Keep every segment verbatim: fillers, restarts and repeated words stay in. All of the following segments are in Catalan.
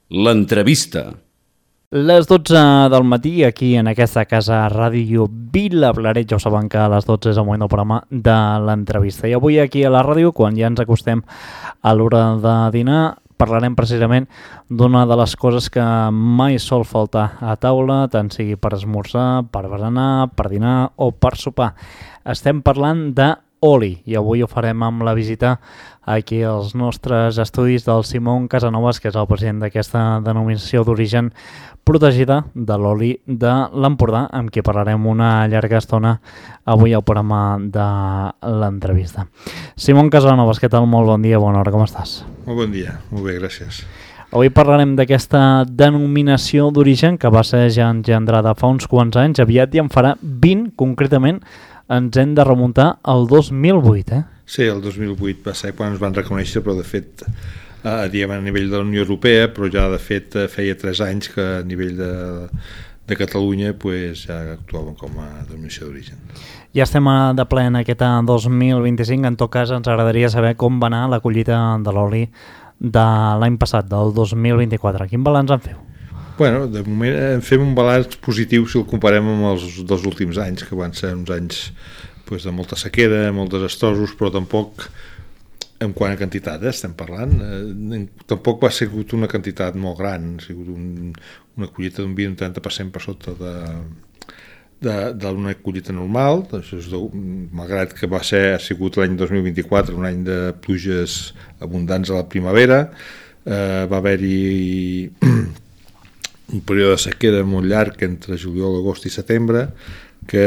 L'entrevista. Les dotze del matí, aquí en aquesta casa Ràdio Vilablareix, ja ho saben que a les dotze és el moment del programa de l'entrevista. I avui aquí a la ràdio, quan ja ens acostem a l'hora de dinar, parlarem precisament d'una de les coses que mai sol faltar a taula, tant sigui per esmorzar, per berenar, per dinar o per sopar. Estem parlant de oli, i avui ho farem amb la visita aquí als nostres estudis del Simón Casanovas, que és el president d'aquesta denominació d'origen protegida de l'oli de l'Empordà, amb qui parlarem una llarga estona avui al programa de l'entrevista. Simón Casanovas, què tal? Molt bon dia, bona hora, com estàs? Molt bon dia, molt bé, gràcies. Avui parlarem d'aquesta denominació d'origen que va ser ja engendrada fa uns quants anys, aviat ja en farà vint, concretament, ens hem de remuntar al dos mil vuit, eh? Sí, el dos mil vuit va ser quan ens van reconèixer, però de fet, eh, diguem, a nivell de la Unió Europea, però ja de fet feia tres anys que a nivell de, de Catalunya pues, ja actuàvem com a denominació d'origen. Ja estem de ple en aquest dos mil vint-i-cinc, en tot cas ens agradaria saber com va anar la collita de l'oli de l'any passat, del dos mil vint-i-quatre. Quin balanç en feu? Bueno, de moment fem un balanç positiu si el comparem amb els dos últims anys, que van ser uns anys pues, de molta sequera, molt desastrosos, però tampoc, en quant a quantitat eh, estem parlant, eh, tampoc va ser una quantitat molt gran, ha sigut un, una collita d'un vint a un trenta per cent per sota de, de, d'una collita normal, això és de, malgrat que va ser, ha sigut l'any dos mil vint-i-quatre, un any de pluges abundants a la primavera, eh, va haver-hi un període de sequera molt llarg entre juliol, agost i setembre, que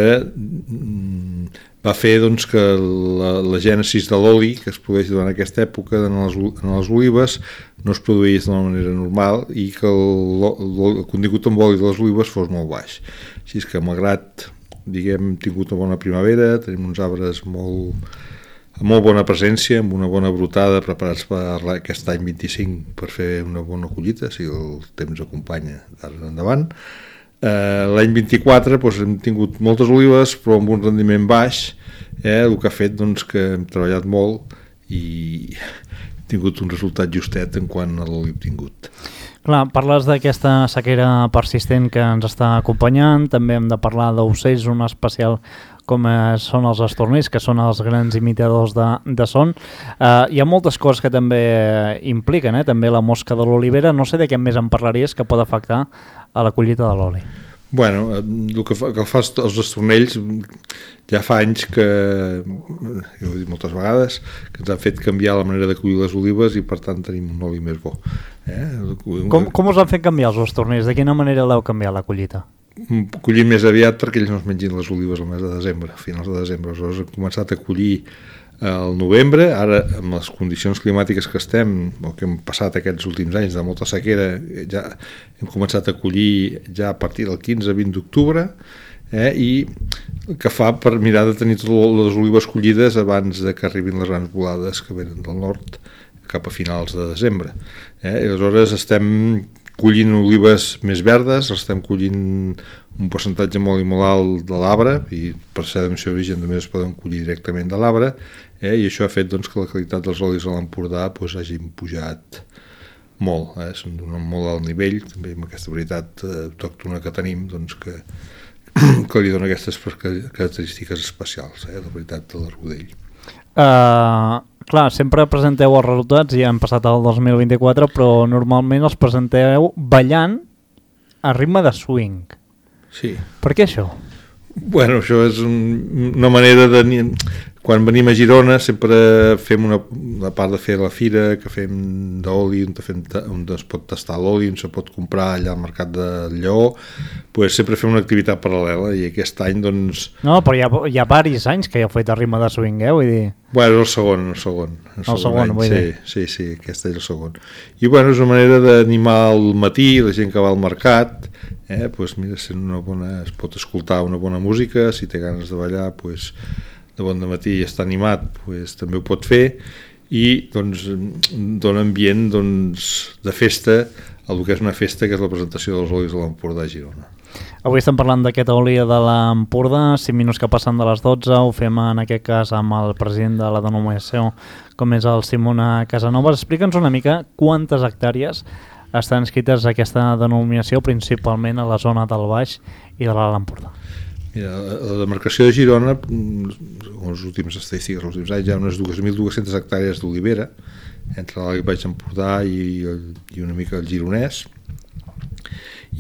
va fer doncs, que la, la gènesis de l'oli que es produeix durant aquesta època en les, en les olives no es produís d'una manera normal i que el, el, el contingut amb oli de les olives fos molt baix. Així és que malgrat diguem, hem tingut una bona primavera, tenim uns arbres molt, amb molt bona presència, amb una bona brotada, preparats per aquest any vint-i-cinc per fer una bona collita, si el temps acompanya d'ara endavant. Eh, l'any vint-i-quatre doncs, hem tingut moltes olives, però amb un rendiment baix, eh, el que ha fet doncs, que hem treballat molt i hem tingut un resultat justet en quant a l'oli obtingut. Clar, parles d'aquesta sequera persistent que ens està acompanyant, també hem de parlar d'ocells, un especial com són els estornells, que són els grans imitadors de, de son. Uh, hi ha moltes coses que també impliquen, eh? També la mosca de l'olivera. No sé de què més en parlaries que pot afectar a la collita de l'oli. Bueno, el que fa, que fa els estornells ja fa anys que, jo ho he dit moltes vegades, que ens han fet canviar la manera de collir les olives i per tant tenim un oli més bo. Eh? Com, com us han fet canviar els estornells? De quina manera l'heu canviat la collita? Collim més aviat perquè ells no es mengin les olives al mes de desembre, a finals de desembre. Aleshores hem començat a collir al novembre, ara amb les condicions climàtiques que estem, o que hem passat aquests últims anys de molta sequera, ja hem començat a collir ja a partir del quinze a vint d'octubre, eh, i que fa per mirar de tenir totes les olives collides abans de que arribin les grans volades que venen del nord cap a finals de desembre. Eh, i aleshores estem collint olives més verdes, estem collint un percentatge molt i molt alt de l'arbre, i per ser denominació d'origen també es poden collir directament de l'arbre, eh, i això ha fet doncs, que la qualitat dels olis a l'Empordà doncs, hagin pujat molt, eh, són d'un molt alt nivell, també amb aquesta varietat eh, autòctona que tenim, doncs, que, que li dona aquestes característiques especials, eh, la varietat de l'arrodell. Uh, clar, sempre presenteu els resultats, ja hem passat el dos mil vint-i-quatre, però normalment els presenteu ballant a ritme de swing. Sí. Per què això? Bueno, això és un, una manera de... Quan venim a Girona sempre fem una, una part de fer la fira que fem d'oli, on, fem, on es pot tastar l'oli, on se pot comprar allà al mercat de Lleó, pues sempre fem una activitat paral·lela i aquest any doncs... No, però hi ha, hi ha varis anys que ja heu fet a ritme de swing, eh? Vull dir... Bueno, és el segon, el segon. El, el segon, segon vull sí, dir. Sí, sí, aquest és el segon. I bueno, és una manera d'animar al matí, la gent que va al mercat, eh, pues mira, sent una bona, es pot escoltar una bona música, si té ganes de ballar, pues... de bon dematí i està animat, pues, també ho pot fer i doncs, dona ambient doncs, de festa a el que és una festa que és la presentació dels olis de l'Empordà a Girona. Avui estem parlant d'aquest oli de l'Empordà, cinc minuts que passen de les dotze, ho fem en aquest cas amb el president de la denominació com és el Simón Casanovas. Explica'ns una mica quantes hectàrees estan inscrites a aquesta denominació principalment a la zona del Baix i de l'Alt Empordà? Mira, la demarcació de Girona, les últimes estadístiques, els últims anys, hi ha unes dos mil dues-centes hectàrees d'olivera, entre l'Alt i Baix Empordà i, i una mica el Gironès,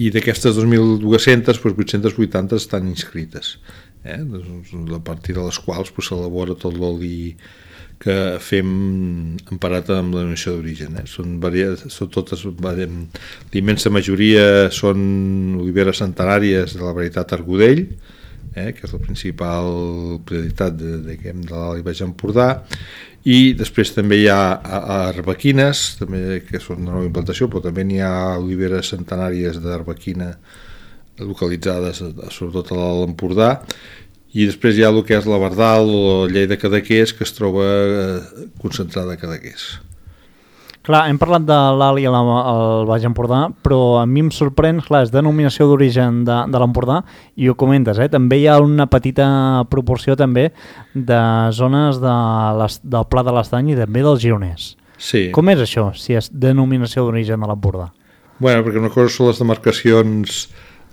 i d'aquestes dos mil dues-centes, doncs vuit-centes vuitanta estan inscrites, eh? A partir de les quals doncs, s'elabora tot l'oli que fem emparat amb la denominació d'origen. Eh? Són, variades, són totes, la immensa majoria són oliveres centenàries de la varietat Argudell, eh? Que és la principal prioritat de, de, de l'Alt i Baix Empordà, i després també hi ha arbequines, també, que són de nova implantació, però també n'hi ha oliveres centenàries d'arbequina localitzades sobretot a l'Alt Empordà, i després hi ha el que és la Verdal o la llei de Cadaqués, que es troba eh, concentrada a Cadaqués. Clar, hem parlat de l'Alt i el Baix Empordà, però a mi em sorprèn, clar, és denominació d'origen de, de l'Empordà, i ho comentes, eh? També hi ha una petita proporció també de zones de les, del Pla de l'Estany i també del Gironès. Sí. Com és això, si és denominació d'origen de l'Empordà? Bueno, perquè una cosa són les demarcacions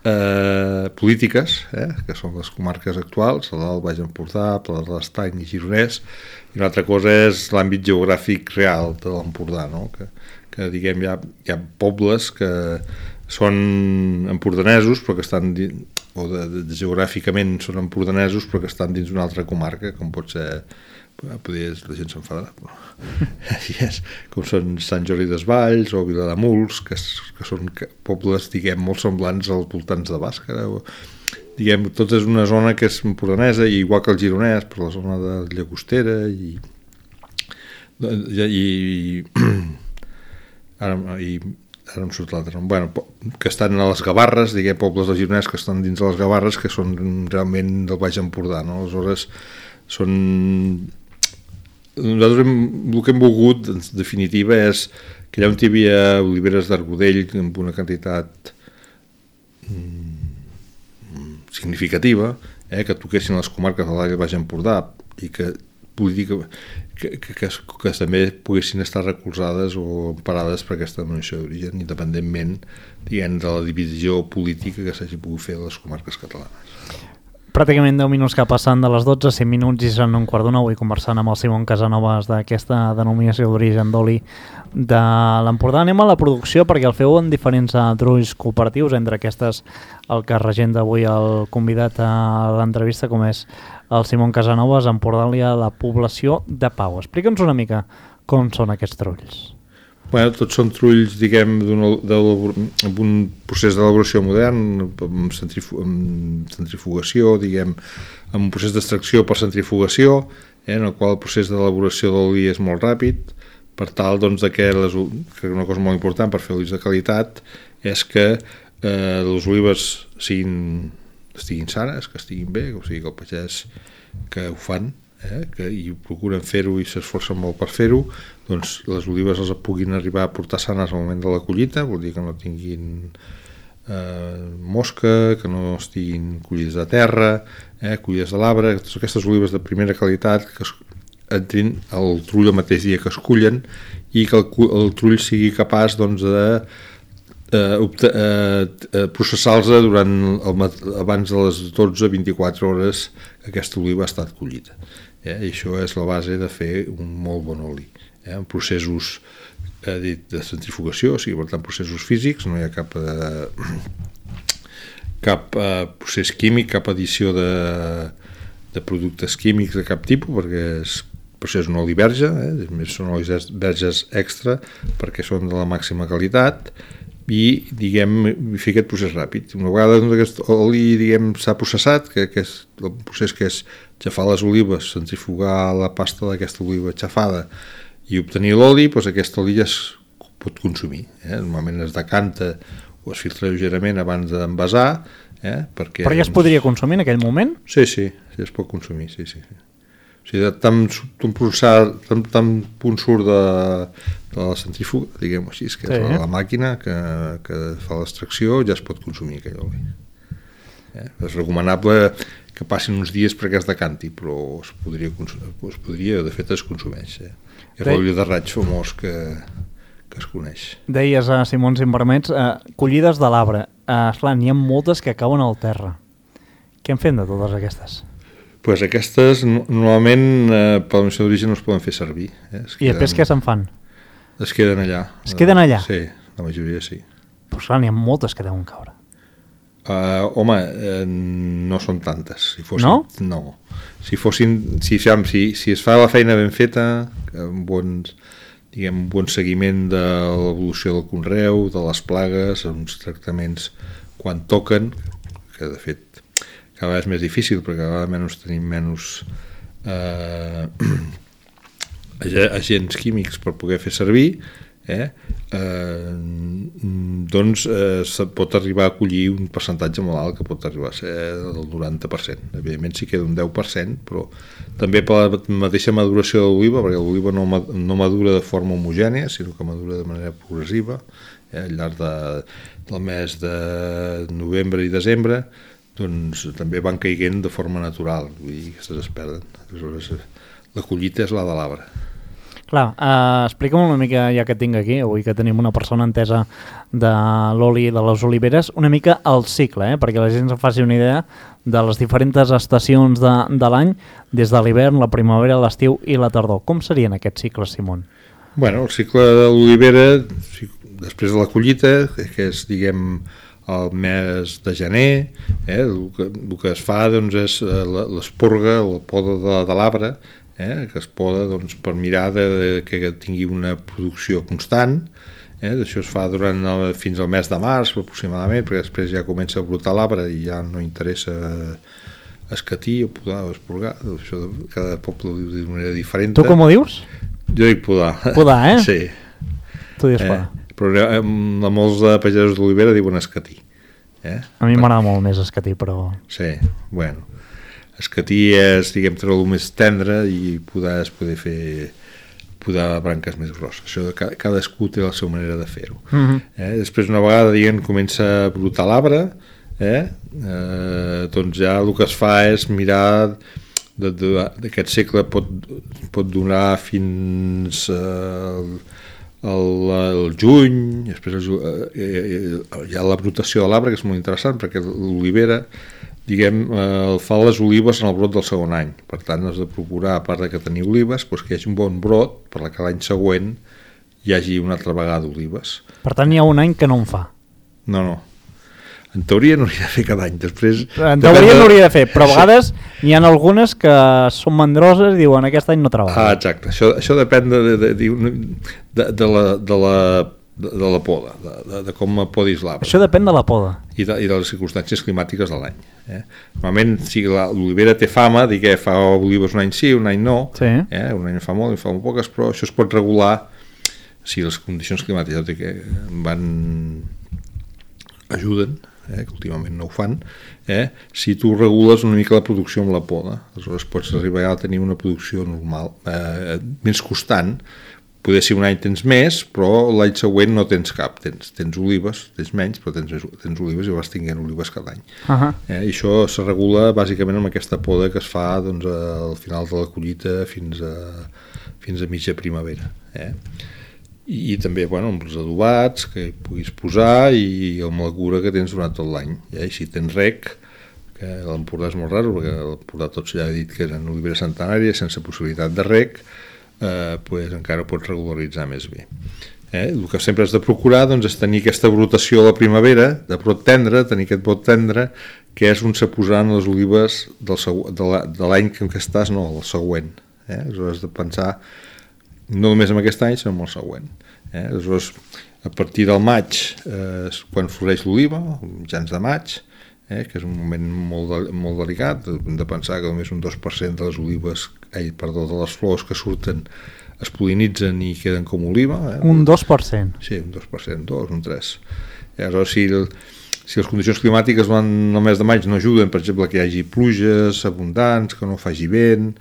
Eh, polítiques, eh, que són les comarques actuals, l'Alt, Baix Empordà, Pla de l'Estany i Gironès, i una altra cosa és l'àmbit geogràfic real de l'Empordà, no? que, que diguem hi ha, hi ha pobles que són empordanesos però que estan o de, de, geogràficament són empordanesos però que estan dins d'una altra comarca, com pot ser podria, la gent s'enfadarà, però així és, com són Sant Jordi Desvalls o Vilademuls, que, que són pobles, diguem, molt semblants als voltants de Bàscara, o, diguem, tot és una zona que és empordanesa, i igual que el Gironès, per la zona de Llagostera, i, i, i ara, i ara em surt l'altre, bueno, que estan a les Gavarres, diguem, pobles del Gironès que estan dins de les Gavarres, que són realment del Baix Empordà, no? Aleshores, són... Nosaltres hem, el que hem volgut, en definitiva, és que allà on hi havia oliveres d'Argudell amb una quantitat mm, significativa, eh, que toquessin les comarques de l'Alt i Baix Empordà i que, política, que, que, que, que també poguessin estar recolzades o emparades per aquesta denominació d'origen, independentment, diguem, de la divisió política que s'hagi pogut fer a les comarques catalanes. Pràcticament deu minuts que passen de les dotze, cinc minuts i seran un quart d'una, avui conversant amb el Simon Casanovas d'aquesta denominació d'origen d'oli de l'Empordà. Anem a la producció perquè el feu en diferents trulls cooperatius, entre aquestes el que regenta avui el convidat a l'entrevista, com és el Simon Casanovas, Empordàlia, la població de Pau. Explica'ns una mica com són aquests trulls. Bueno, tots són trulls, diguem, amb un procés d'elaboració modern, amb, centrifu amb centrifugació, diguem, amb un procés d'extracció per centrifugació, eh, en el qual el procés d'elaboració d'oli és molt ràpid, per tal, doncs, de que, les, que una cosa molt important per fer olis de qualitat és que eh, les olives siguin, estiguin sanes, que estiguin bé, o sigui, que el pagès que ho fan, eh, que i procuren fer-ho i s'esforcen molt per fer-ho, doncs les olives les puguin arribar a portar sanes al moment de la collita, vol dir que no tinguin eh, mosca, que no estiguin collides de terra, eh, collides de l'arbre, totes aquestes olives de primera qualitat que es, entrin al trull el mateix dia que es cullen i que el, el trull sigui capaç, doncs, de eh, eh, processar-los durant el, abans de les dotze a vint-i-quatre hores que aquesta oliva ha estat collida. Eh? I això és la base de fer un molt bon oli. Eh? En processos eh, dit, de centrifugació, o sigui, per tant, processos físics, no hi ha cap, eh, cap eh, procés químic, cap addició de, de productes químics de cap tipus, perquè és, per això és un oli verge, eh? Més són olis verges extra, perquè són de la màxima qualitat, i, diguem, fer aquest procés ràpid. Una vegada doncs, aquest oli, diguem, s'ha processat, que, que és el procés que és xafar les olives, centrifugar la pasta d'aquesta oliva xafada i obtenir l'oli, doncs aquest oli ja es pot consumir. Eh? Normalment es decanta o es filtra lleugerament abans d'envasar. Eh? Perquè, Però ja es podria consumir en aquell moment? Sí, sí, sí es pot consumir, sí, sí. O sigui, tant, tant, tant punt surt de, de la centrífuga, diguem-ho així, que sí, és la, la màquina que, que fa l'extracció, ja es pot consumir aquell oli. Eh? És recomanable que passin uns dies perquè es decanti, però es podria, es podria de fet es consumeix. Eh? És l'oli de raig famós que, que es coneix. Deies, uh, Simon, si em permets, uh, collides de l'arbre. Uh, esclar, n'hi ha moltes que cauen al terra. Què en fem de totes aquestes? Pues aquestes, normalment, eh, per la missió d'origen no es poden fer servir. Eh? Es I després què se'n fan? Es queden allà. Es queden allà? Sí, la majoria sí. Però esclar, n'hi ha moltes que deuen caure. Uh, home, eh, no són tantes. Si fossin, no? No. Si fossin, si, si, si es fa la feina ben feta, amb bons, diguem, un bon seguiment de l'evolució del conreu, de les plagues, uns tractaments quan toquen, que de fet cada vegada és més difícil perquè cada vegada menys tenim menys eh, agents químics per poder fer servir, eh, eh, doncs eh, se pot arribar a collir un percentatge molt alt que pot arribar a ser del noranta per cent. Evidentment sí queda un deu per cent, però també per la mateixa maduració de l'oliva, perquè l'oliva no, no madura de forma homogènia, sinó que madura de manera progressiva, eh, al llarg de, del mes de novembre i desembre, doncs també van caiguent de forma natural, vull dir, aquestes es perden. Aleshores, la collita és la de l'arbre. Clar, uh, explica'm una mica, ja que tinc aquí, avui que tenim una persona entesa de l'oli de les oliveres, una mica el cicle, eh? Perquè la gent se'n faci una idea de les diferents estacions de, de l'any, des de l'hivern, la primavera, l'estiu i la tardor. Com serien aquests cicles, Simon? Bueno, el cicle de l'olivera, després de la collita, que és, diguem, el mes de gener, eh, el, que, el que es fa doncs, és l'esporga, la poda de, de l'arbre, eh, que es poda doncs, per mirar de, de que tingui una producció constant. Eh, això es fa durant el, fins al mes de març aproximadament, perquè després ja comença a brotar l'arbre i ja no interessa escatir o podar o esporgar. Això de, cada poble ho diu d'una manera diferent. Tu com ho dius? Jo dic podar. Podar, eh? Sí. Tu dius podar. Eh? Però a molts de pagesos d'olivera diuen escatir. Eh? A mi m'agrada molt més escatir, però... Sí, bueno. Escatir és, diguem, treure-lo més tendre i podar és poder fer podar branques més grosses. Això de cadascú té la seva manera de fer-ho. Mm-hmm. eh? Després, una vegada, diguem, comença a brotar l'arbre, eh? eh, doncs ja el que es fa és mirar d'aquest segle pot, pot donar fins... Eh, El, el juny, després el, eh, hi ha la brotació de l'arbre, que és molt interessant perquè l'olivera, diguem, eh, fa les olives en el brot del segon any. Per tant, has de procurar, a part de que tenir olives, doncs que hi hagi un bon brot per que l'any següent hi hagi una altra vegada olives. Per tant, hi ha un any que no en fa. No, no. En teoria no hauria de fer cada any. Després, en teoria no hauria de fer, però a vegades n'hi ha algunes que són mandroses i diuen aquest any no treballa. Ah, exacte. Això, això depèn de, de, de, de, de, la, de, la, de, de la poda, de, de, de com podis l'arbre. Això depèn de la poda. I de, i de les circumstàncies climàtiques de l'any. Eh? Normalment, si l'olivera té fama, dir que fa olives un any sí, un any no, sí. eh? Un any fa molt, en fa molt poques, però això es pot regular si les condicions climàtiques que van ajuden, eh, que últimament no ho fan, eh, si tu regules una mica la producció amb la poda, aleshores pots arribar a tenir una producció normal, eh, més constant. Poder ser un any tens més, però l'any següent no tens cap, tens, tens olives, tens menys, però tens, tens olives i vas tinguent olives cada any. Uh-huh. eh, I això se regula bàsicament amb aquesta poda que es fa doncs, al final de la collita fins a, fins a mitja primavera. Eh? I, i també bueno, amb els adobats que puguis posar i amb la cura que tens durant tot l'any. Eh? I si tens rec, que l'Empordà és molt raro, perquè l'Empordà tots ja ha dit que eren oliveres centenàries sense possibilitat de rec, eh, pues encara pots regularitzar més bé. Eh? El que sempre has de procurar doncs, és tenir aquesta brotació a la primavera, de brot tendre, tenir aquest brot tendre, que és on se posaran les olives del segu- de l'any en què estàs, no, el següent. Eh? Aleshores has de pensar no només en aquest any, sinó en el següent. Eh? Aleshores, a partir del maig, eh, quan floreix l'oliva, mitjans de maig, eh, que és un moment molt, de, molt delicat, hem de pensar que només un dos per cent de les olives, eh, perdó, de les flors que surten es pol·linitzen i queden com oliva. Eh? Un dos per cent? Sí, un dos per cent, dos, un tres. Eh, aleshores, si, el, si les condicions climàtiques van el mes de maig no ajuden, per exemple, que hi hagi pluges abundants, que no faci vent,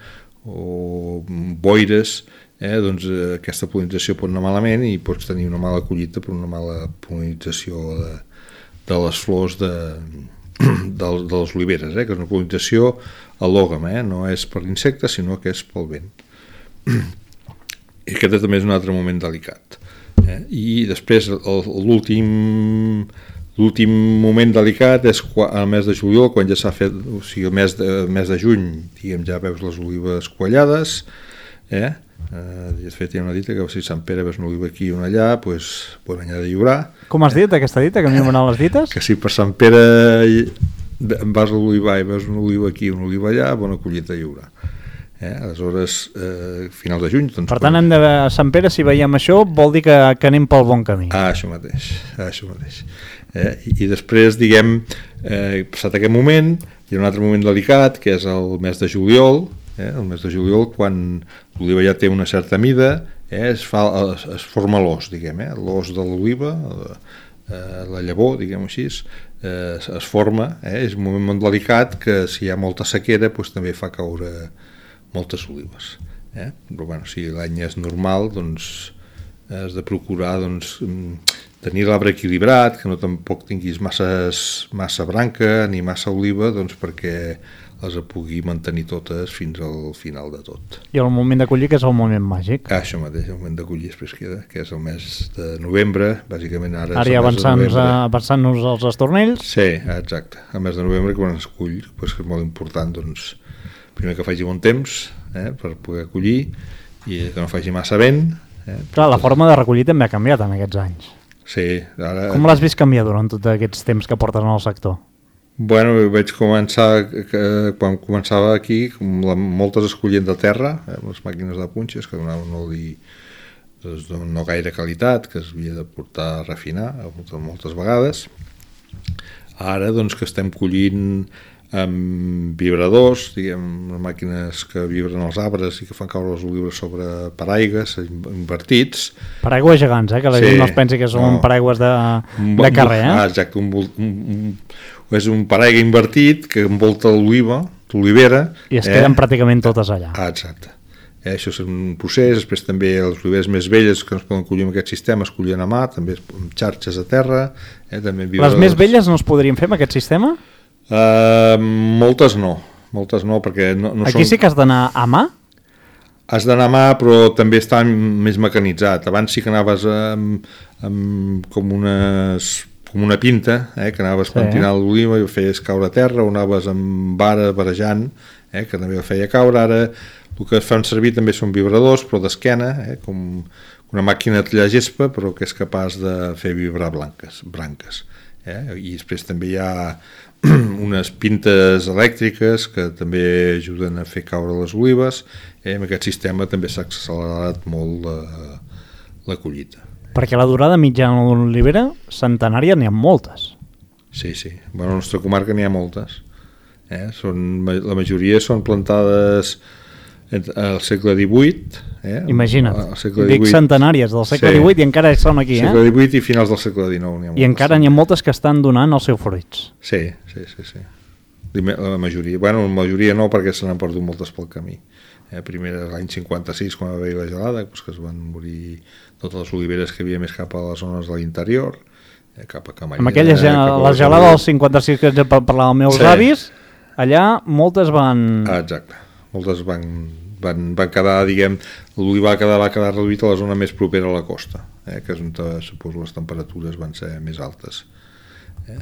o boires, eh, doncs eh, aquesta pol·linització pot anar malament i pots tenir una mala collita per una mala pol·linització de, de les flors de, de, de les oliveres, eh, que és una pol·linització al·lògama, eh, no és per insectes sinó que és pel vent. I aquest també és un altre moment delicat, Eh? I després l'últim l'últim moment delicat és quan, al mes de juliol, quan ja s'ha fet, o sigui, el mes de, el mes de juny, diguem, ja veus les olives quallades, eh? Uh, de fet hi ha una dita que si Sant Pere ves una oliva aquí i una allà, doncs bon any ha de lliurar. Com has dit aquesta dita, que a mi m'han les dites? Que si per Sant Pere vas a l'olivar i veus una oliva aquí i una oliva allà, bona collita hi haurà. Eh? Aleshores, eh, final de juny... Doncs, per tant, hem de, a Sant Pere, si veiem això, vol dir que, que anem pel bon camí. Ah, això mateix, això mateix. Eh? I, I després, diguem, eh, passat aquest moment, hi ha un altre moment delicat, que és el mes de juliol, eh? El mes de juliol, quan l'oliva ja té una certa mida, eh? es, fa, es, es forma l'os, diguem, eh? l'os de l'oliva, eh, la llavor, diguem així, eh, es, es forma, eh? És un moment molt delicat que si hi ha molta sequera, doncs, també fa caure moltes olives, eh? Però bueno, si l'any és normal, doncs has de procurar doncs, tenir l'arbre equilibrat, que no tampoc tinguis masses, massa branca ni massa oliva, doncs perquè les pugui mantenir totes fins al final de tot. I el moment de collir, que és el moment màgic. Ah, això mateix, el moment de collir després queda, que és el mes de novembre, bàsicament ara, ara ja avançant-nos avançant als estornells. Sí, exacte, el mes de novembre quan es cull, doncs, que és molt important, doncs primer que faci bon temps, eh, per poder collir, i que no faci massa vent. Eh, Clar, la forma de recollir també ha canviat en aquests anys. Sí. Ara... Com l'has vist canviar durant tots aquests temps que portes en el sector? Bueno, vaig començar, que, quan començava aquí, com la, moltes es collien de terra, eh, les màquines de punxes, que donaven un oli doncs, no gaire qualitat, que es havia de portar a refinar moltes, moltes vegades. Ara, doncs, que estem collint amb vibradors, diguem, màquines que vibren els arbres i que fan caure les olives sobre paraigües invertits. Paraigües gegants, eh? Que la sí, gent no es pensi que són no. paraigües de, de carrer, eh? Ah, exacte, un, un, un, és un paraigua invertit que envolta l'oliva, l'olivera. I es queden eh? pràcticament totes allà. Ah, exacte. Eh, això és un procés, després també les oliveres més velles que no es poden collir amb aquest sistema es collien a mà, també amb xarxes a terra. Eh, també les més velles no es podrien fer amb aquest sistema? Uh, moltes no, moltes no, perquè no, no aquí són... sí que has d'anar a mà? Has d'anar a mà, però també està més mecanitzat. Abans sí que anaves amb, amb com, unes, com una pinta, eh, que anaves sí. pentinant l'oliva i feies caure a terra, o anaves amb vara barejant, eh, que també feia caure. Ara el que es fan servir també són vibradors, però d'esquena, eh, com una màquina de tallar gespa, però que és capaç de fer vibrar blanques, branques. Eh? I després també hi ha unes pintes elèctriques que també ajuden a fer caure les olives. Eh? Amb aquest sistema també s'ha accelerat molt la, la collita. Perquè la durada mitjana d'una olivera centenària n'hi ha moltes. Sí, sí. Bueno, a la nostra comarca n'hi ha moltes. Eh? Són, la majoria són plantades al segle divuit. Eh? Imagina't, dic centenàries del segle sí. divuit i encara són aquí. Segle divuit eh? i finals del segle dinou. N'hi ha I encara n'hi ha moltes que estan donant els seus fruits. Sí, sí, sí, sí. La majoria, bueno, la majoria no, perquè se n'han perdut moltes pel camí. Eh? Primer l'any cinquanta-sis, quan va haver la gelada, doncs que es van morir totes les oliveres que hi havia més cap a les zones de l'interior, eh? cap a Camallera. Amb aquella gelada, la gelada del cinquanta-sis que parlava els meus sí. avis, allà moltes van... Ah, exacte. Moltes van, van, van quedar, diguem, l'olivar va quedar, va quedar reduït a la zona més propera a la costa, eh, que és on, suposo, les temperatures van ser més altes. Eh.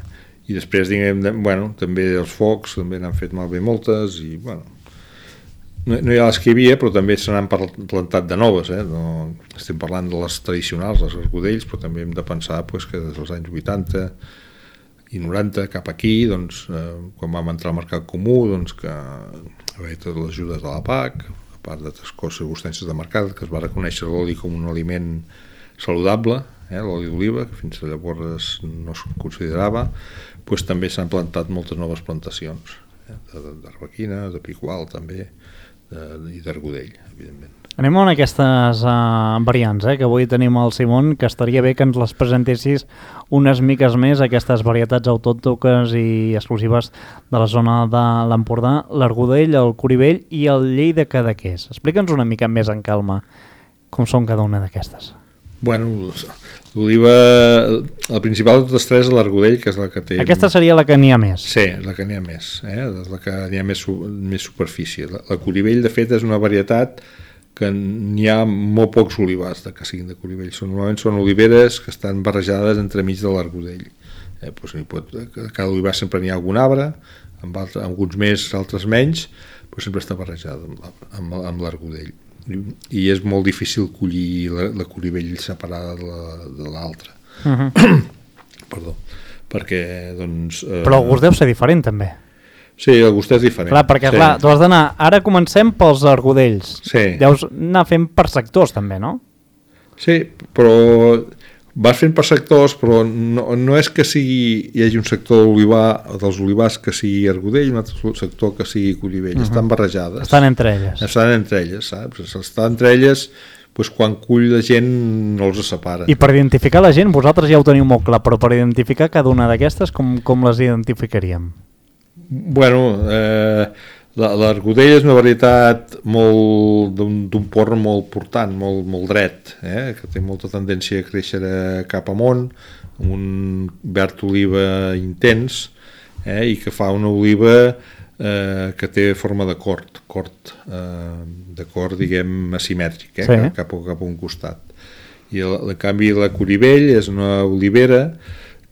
I després, diguem, bueno, també els focs, també n'han fet malbé moltes, i, bueno, no, no hi ha les que hi havia, però també se n'han plantat de noves, eh. No, estem parlant de les tradicionals, les argodells, però també hem de pensar pues, que des dels anys vuitanta i noranta cap aquí, doncs, eh, quan vam entrar al mercat comú, doncs que haver totes les ajudes de la P A C, a part d'altres coses, circumstàncies de mercat, que es va reconèixer l'oli com un aliment saludable, eh, l'oli d'oliva, que fins llavors no es considerava, doncs també s'han plantat moltes noves plantacions, eh, d'arbequina, de picual també, de, i d'argodell, evidentment. Anem a aquestes uh, variants, eh, que avui tenim al Simon, que estaria bé que ens les presentessis unes miques més, aquestes varietats autòctones i exclusives de la zona de l'Empordà, l'argodell, el corivell i el llei de cadaqués. Explica'ns una mica més en calma com són cada una d'aquestes. Bueno, l'oliva, el principal de totes tres és l'argodell, que és la que té... Aquesta seria la que n'hi ha més. Sí, la que n'hi ha més, eh? La que n'hi ha més, més superfície. La, la corivell, de fet, és una varietat que n'hi ha molt pocs olivars de que siguin de Coribell. Són, normalment són oliveres que estan barrejades entremig de l'argodell. Eh, doncs pot, cada olivar sempre n'hi ha algun arbre, amb, altres, amb alguns més, altres menys, però sempre està barrejada amb, amb, amb l'argodell. I, I és molt difícil collir la, la Coribell separada de l'altra. Uh -huh. Perdó. Perquè, doncs... Eh... Però el gust deu ser diferent, també. Sí, el gust és diferent. Clar, perquè sí. clar, tu has d'anar... Ara comencem pels argodells. Sí. Deus anar fent per sectors, també, no? Sí, però vas fent per sectors, però no, no és que sigui, hi hagi un sector d'olivar, dels olivars que sigui argodell, un altre sector que sigui Coribell. Uh -huh. Estan barrejades. Estan entre elles. Estan entre elles, saps? Estan entre elles... Pues quan cull la gent no els separa. I per identificar la gent, vosaltres ja ho teniu molt clar, però per identificar cada una d'aquestes, com, com les identificaríem? Bueno, eh, l'argodell és una varietat d'un porc molt portant, molt, molt dret, eh, que té molta tendència a créixer cap amunt, amb un verd oliva intens, eh, i que fa una oliva eh, que té forma de cort, cort eh, de cort, diguem, asimètric, eh, sí. cap, cap a un costat. I el, en canvi la Coribell és una olivera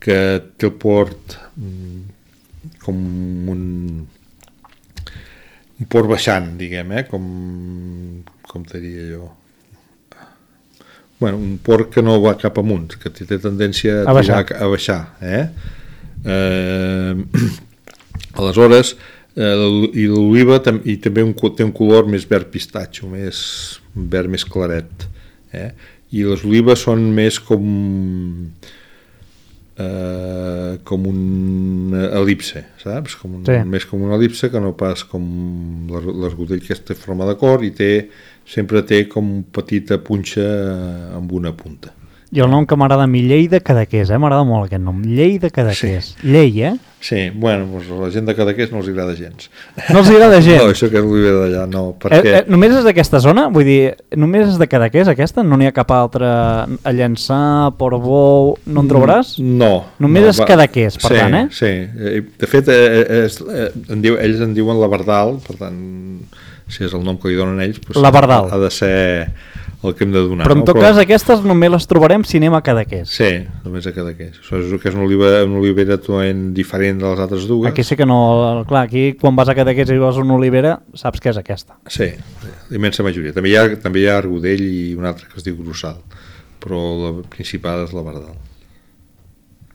que té el port com un, un port baixant, diguem, eh, com, com te diria jo. Bueno, un port que no va cap amunt, que té tendència a, a baixar. A baixar eh? Eh, aleshores, eh, i l'oliva tam i també un, té un color més verd pistatxo, més verd més claret, eh? I les olives són més com eh, com un elipse, saps? Com un, sí. Més com una elipse que no pas com l'argodell, que té forma de cor i té, sempre té com petita punxa amb una punta. I el nom que m'agrada a mi, Llei de Cadaqués, eh? M'agrada molt aquest nom, Llei de Cadaqués. Sí. Llei, eh? Sí, bueno, doncs la gent de Cadaqués no els agrada gens. No els agrada gens? No, això que és l'olivera d'allà, no, perquè... Eh, eh, només és d'aquesta zona? Vull dir, només és de Cadaqués aquesta? No n'hi ha cap altra a Llançà, Portbou, no en trobaràs? No. Només no, és Cadaqués, per sí, tant, eh? Sí, de fet, eh, és, eh, en diu, ells en diuen la Bardal, per tant, si és el nom que li donen ells, doncs la Bardal. Ha de ser el que hem de donar. Però en no? tot Però... cas aquestes només les trobarem si anem a Cadaqués. Sí, només a Cadaqués. Això és que és una, oliva, una olivera totalment diferent de les altres dues. Aquí sí que no... Clar, aquí quan vas a Cadaqués i veus una olivera, saps que és aquesta. Sí, l'immensa majoria. També hi ha, també hi ha argodell i un altre que es diu grossal, però la principal és la Bardal.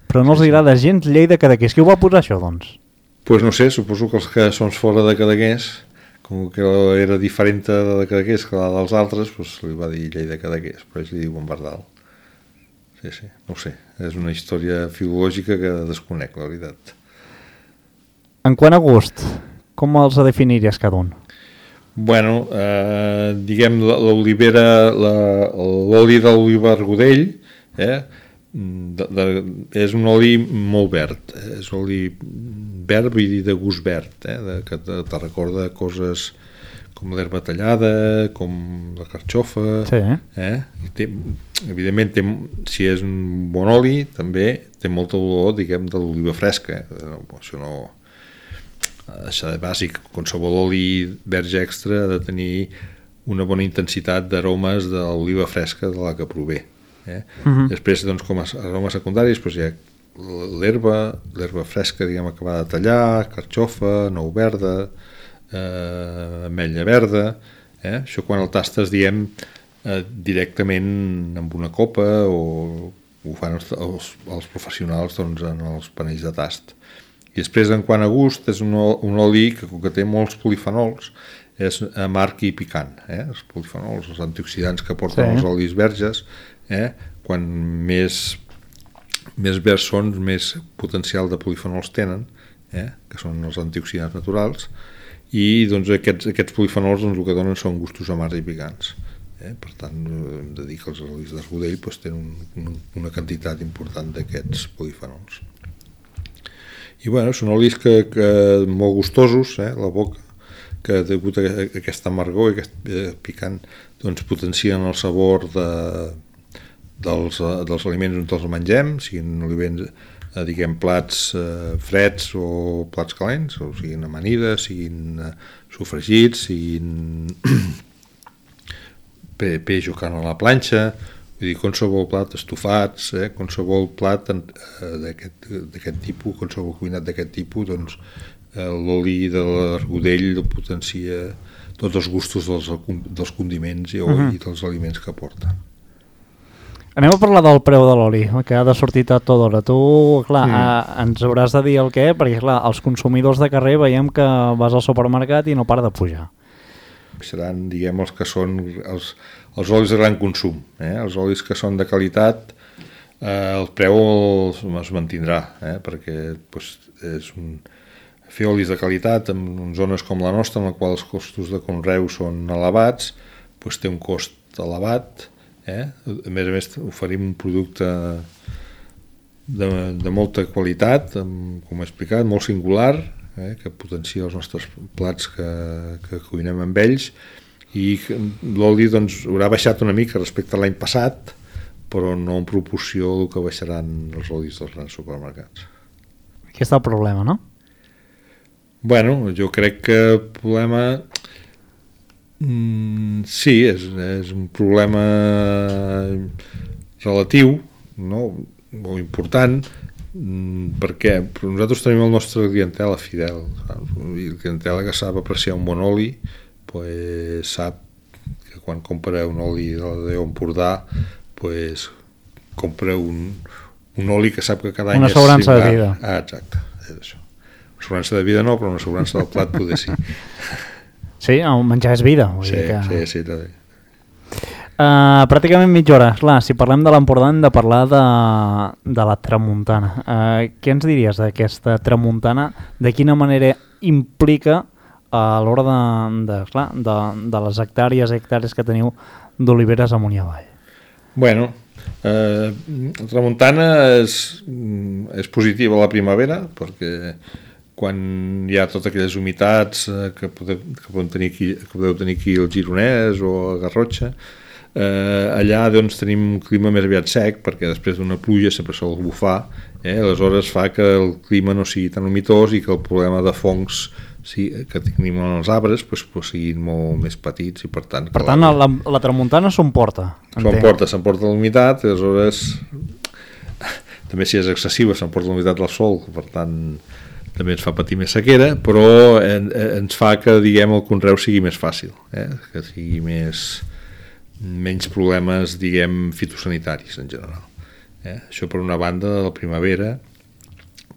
Però no els agrada gens Llei de Cadaqués. Qui ho va posar això, doncs? Doncs pues no sé, suposo que els que són fora de Cadaqués, com que era diferent de Cadaqués que la dels altres, doncs li va dir Llei de Cadaqués, però ells li diuen Bardal. Sí, sí, no ho sé, és una història filològica que desconec, la veritat. En quant a gust, com els definiries cada un? Bueno, eh, diguem l'olivera, l'oli de l'oliva argodell, eh, de, de, és un oli molt verd, eh? És oli verd i de gust verd, eh? de, que te, te recorda coses com l'herba tallada, com la carxofa, sí. eh? I té, evidentment té, si és un bon oli també té molta olor, diguem, de l'oliva fresca, eh? No, això no això de bàsic, qualsevol oli verge extra ha de tenir una bona intensitat d'aromes de l'oliva fresca de la que prové. Eh? Uh-huh. Després, doncs, com a aromes secundaris, doncs hi ha l'herba, l'herba fresca, diguem, acabada de tallar, carxofa, nou verda, eh, ametlla verda, eh? Això quan el tastes, diem, eh, directament amb una copa o ho fan els, els, els professionals, doncs, en els panells de tast. I després, en quant a gust, és un, un oli que, que té molts polifenols, és amarg i picant, eh? Els polifenols, els antioxidants que porten sí. Els olis verges, eh? Quan més, més verds són, més potencial de polifenols tenen, eh? Que són els antioxidants naturals, i doncs, aquests, aquests polifenols doncs, el que donen són gustos amargs i picants. Eh? Per tant, hem de dir que els olis d'argodell doncs, tenen un, una quantitat important d'aquests polifenols. I bueno, són olis que, que molt gustosos, eh? La boca, que degut a aquesta amargor i aquest picant doncs potencien el sabor de, dels, dels aliments on els mengem, siguin aliments, eh, diguem, plats eh, freds o plats calents, o siguin amanides, siguin eh, sofregits, siguin peix o carn a la planxa, vull dir, qualsevol plat, estofats, eh, qualsevol plat d'aquest tipus, qualsevol cuinat d'aquest tipus, doncs l'oli de l'argudell potencia tots els gustos dels, dels condiments i, uh-huh. i dels aliments que porta. Anem a parlar del preu de l'oli, que ha de sortir a tota hora. Tu, clar, mm. a, ens hauràs de dir el què, perquè, clar, els consumidors de carrer veiem que vas al supermercat i no para de pujar. Seran, diguem, els que són els, els olis de gran consum. Eh? Els olis que són de qualitat, eh, el preu es, es mantindrà, eh? perquè pues, és un... fer olis de qualitat en zones com la nostra, en la qual els costos de conreu són elevats, pues, té un cost elevat. Eh? A més a més, oferim un producte de, de molta qualitat, amb, com he explicat, molt singular, eh? que potencia els nostres plats que, que cuinem amb ells, i l'oli doncs, haurà baixat una mica respecte a l'any passat, però no en proporció al que baixaran els olis dels grans supermercats. Aquí està el problema, no? Bueno, jo crec que el problema mm, sí, és, és un problema relatiu, no? Molt important, mm, perquè nosaltres tenim el nostre clientela fidel, saps? I el clientela que sap apreciar un bon oli, pues, sap que quan compra un oli de l'Empordà, pues, compra un, un oli que sap que cada any una és assegurança de vida. Ah, exacte, és això. Una assegurança de vida no, però una assegurança del plat poder sí. Sí, el menjar és vida. Vull sí, dir que... sí, sí, també. Uh, pràcticament mitja hora. Clar, si parlem de l'Empordà hem de parlar de, de la tramuntana. Uh, què ens diries d'aquesta tramuntana? De quina manera implica a l'hora de, de, clar, de, de les hectàrees i hectàrees que teniu d'oliveres amunt i avall? Bueno, eh, la tramuntana és, és positiva a la primavera, perquè quan hi ha totes aquelles humitats eh, que, podeu, que, podeu tenir aquí, que podeu tenir aquí al Gironès o a Garrotxa, eh, allà doncs, tenim un clima més aviat sec, perquè després d'una pluja sempre sol bufar, eh, aleshores fa que el clima no sigui tan humitós i que el problema de fongs sí, que tenim en els arbres pues, pues, siguin molt més petits i per tant... Per tant, la, la tramuntana s'emporta. S'emporta, s'emporta l'humitat i aleshores també si és excessiva s'emporta l'humitat del sol, per tant també ens fa patir més sequera, però en, ens fa que diguem el conreu sigui més fàcil, eh? Que sigui més menys problemes diguem fitosanitaris en general. Eh? Això per una banda de la primavera.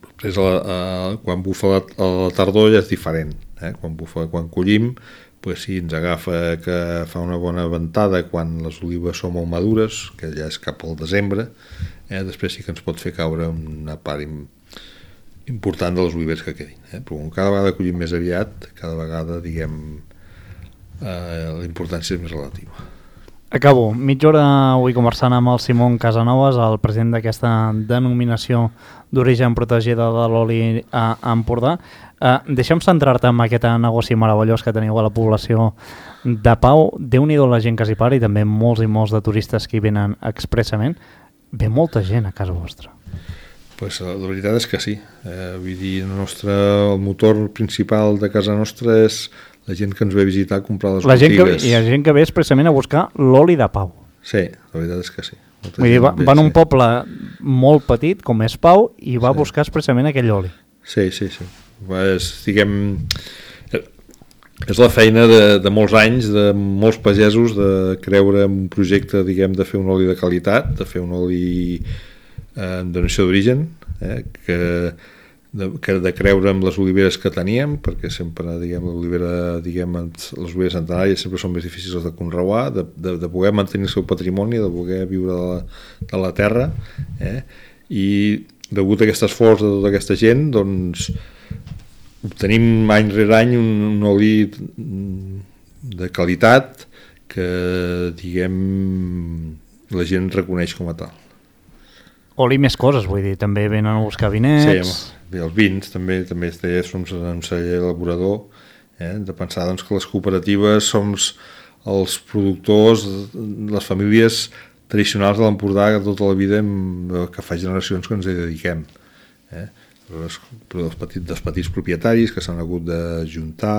Després a la, a, quan bufa la, a la tardor ja és diferent, eh? Quan bufa, quan collim, pues sí, ens agafa que fa una bona ventada quan les olives són molt madures, que ja és cap al desembre, eh? Després sí que ens pot fer caure una part important de les oliveres que quedin, eh? Però cada vegada collim més aviat, cada vegada diguem eh, la importància és més relativa. Acabo. Mitja hora avui conversant amb el Simón Casanovas, el president d'aquesta denominació d'origen protegida de l'oli a Empordà. Eh, deixa'm centrar-te en aquest negoci meravellós que teniu a la població de Pau. Déu-n'hi-do la gent que s'hi para i també molts i molts de turistes que hi venen expressament. Ve molta gent a casa vostra. Pues la veritat és que sí. Eh, vull dir, el, nostre, el motor principal de casa nostra és la gent que ens ve a visitar a comprar les la botigues. Gent que, hi ha gent que ve expressament a buscar l'oli de Pau. Sí, la veritat és que sí. Vull dir, va, va en un poble molt petit, com és Pau, i va sí. buscar expressament aquell oli. Sí, sí, sí. És, diguem, és la feina de, de molts anys, de molts pagesos, de creure en un projecte, diguem, de fer un oli de qualitat, de fer un oli eh, amb donació d'origen, eh, que... De, que de creure en les oliveres que teníem, perquè sempre, diguem, l'olivera, diguem, les oliveres centenàries sempre són més difícils de conreuar, de, de, de poder mantenir el seu patrimoni, de poder viure de la, de la terra, eh? I degut a aquest esforç de tota aquesta gent, doncs obtenim any rere any un, un oli de qualitat que, diguem, la gent reconeix com a tal. Oli més coses, vull dir, també venen a buscar vinets... Sí, els vins també també som un celler elaborador, eh? De pensar doncs, que les cooperatives som els productors, les famílies tradicionals de l'Empordà que tota la vida hem, que fa generacions que ens hi dediquem, eh? Els, dels, petits, dels petits propietaris que s'han hagut d'ajuntar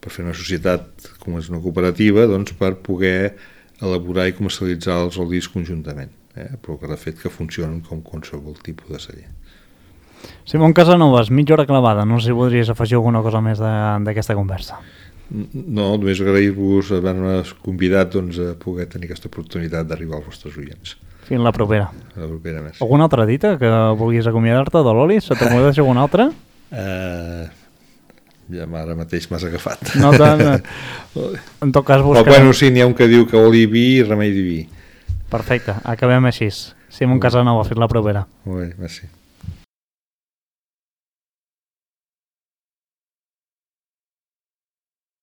per fer una societat com és una cooperativa, doncs per poder elaborar i comercialitzar els olis conjuntament, eh? Però que de fet que funcionen com qualsevol tipus de celler. Simón Casanovas, mitja hora clavada, no sé si voldries afegir alguna cosa més d'aquesta conversa. No, només agrair-vos haver-me convidat doncs, a poder tenir aquesta oportunitat d'arribar als vostres oients. Fins la propera. La propera més. Alguna altra dita que vulguis acomiadar-te de l'oli? Se t'ho deixar alguna altra? Uh, ja ara mateix m'has agafat. No tant. En tot cas buscarem... Però bueno, sí, n'hi ha un que diu que oli vi i remei diví. Perfecte, acabem així. Simón Casanova, fins la propera. Molt bé, merci.